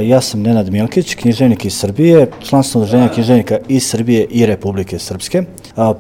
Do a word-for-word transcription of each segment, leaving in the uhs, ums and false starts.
Ja sam Nenad Milkić, književnik iz Srbije, član sam Udruženja književnika iz Srbije i Republike Srpske.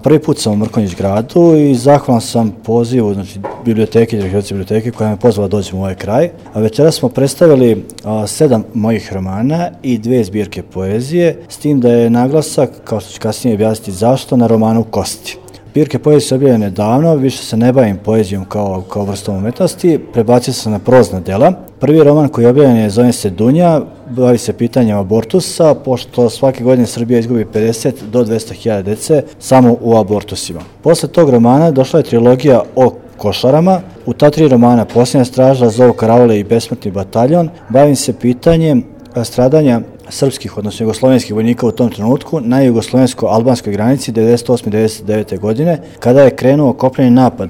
Prvi put sam u Mrkonjić gradu i zahvalan sam pozivu, znači biblioteke, direktorice biblioteke koja me pozvala da dođem u ovaj kraj. Večeras smo predstavili sedam mojih romana i dve zbirke poezije, s tim da je naglasak, kao što ću kasnije objasniti zašto, na romanu Kosti. Zbirke poezije su objavljene davno, više se ne bavim poezijom kao, kao vrstom umetnosti, prebacio sam na prozna dela. Prvi roman koji je objavljen je, zove se Dunja, bavi se pitanjem abortusa, pošto svake godine Srbija izgubi pedeset do dvesta hiljada dece samo u abortusima. Posle tog romana došla je trilogija o košarama. U ta tri romana, Posljednja straža, Zov karavole i Besmrtni bataljon, bavim se pitanjem stradanja srpskih, odnosno jugoslovenskih vojnika u tom trenutku na jugoslovensko-albanskoj granici devedeset osme do devedeset devete. godine, kada je krenuo kopneni napad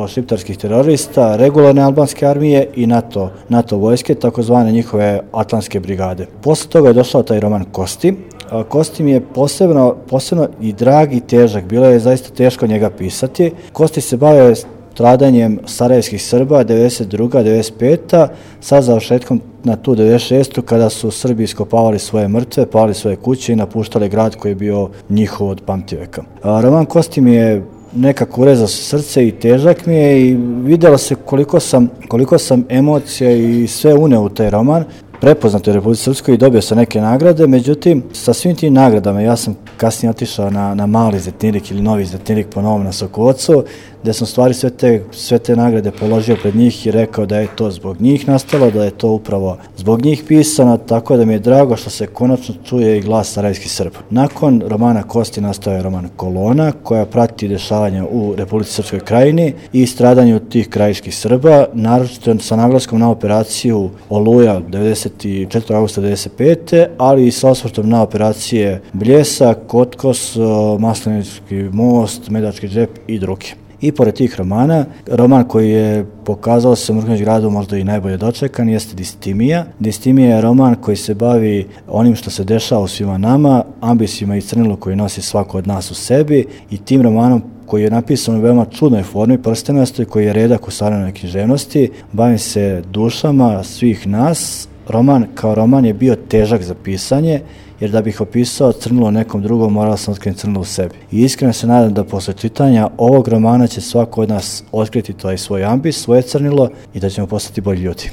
šiptarskih terorista, regularne albanske armije i NATO, NATO vojske, takozvane njihove Atlantske brigade. Posle toga je došao taj roman Kosti. Kosti mi je posebno, posebno i drag i težak, bilo je zaista teško njega pisati. Kosti se bave stradanjem sarajevskih Srba devedeset druga do devedeset peta. sa završetkom na tu devedeset šestu. kada su Srbi iskopavali svoje mrtve, palili svoje kuće i napuštali grad koji je bio njihov od pamtiveka. Roman Kosti mi je nekako urezao se srce i težak mi je i vidjelo se koliko sam, koliko sam emocija i sve uneo u taj roman. Prepoznato je u Republici Srpskoj i dobio sam neke nagrade, međutim, sa svim tim nagradama ja sam kasnije otišao na, na Mali Zlatnirik ili Novi Zlatnirik po novom na Sokovocu, gde sam stvari sve te, sve te nagrade položio pred njih i rekao da je to zbog njih nastalo, da je to upravo zbog njih pisano, tako da mi je drago što se konačno čuje i glas sarajevskih Srba. Nakon romana Kosti nastao je roman Kolona, koja prati dešavanja u Republici Srpskoj krajini i stradanju tih krajiških Srba, naročito sa naglaskom na operaciju Oluja devedeset četvrtog avgusta devedeset pete. ali i sa osvrtom na operacije Bljesak, Kotkos, Maslenički most, Medački džep i druge. I pored tih romana, roman koji je pokazao se u Mrkonjić gradu možda i najbolje dočekan jeste Distimija. Distimija je roman koji se bavi onim što se dešava u svima nama, ambisima i crnilu koji nosi svako od nas u sebi, i tim romanom koji je napisan u veoma čudnoj formi, prstenosti, koji je redak u savremenoj književnosti, bavim se dušama svih nas. Roman kao roman je bio težak za pisanje, jer da bih opisao crnilo nekom drugom, morao sam otkriti crnilo u sebi. I iskreno se nadam da posle čitanja ovog romana će svako od nas otkriti taj svoj ambis, svoje crnilo i da ćemo postati bolji ljudi.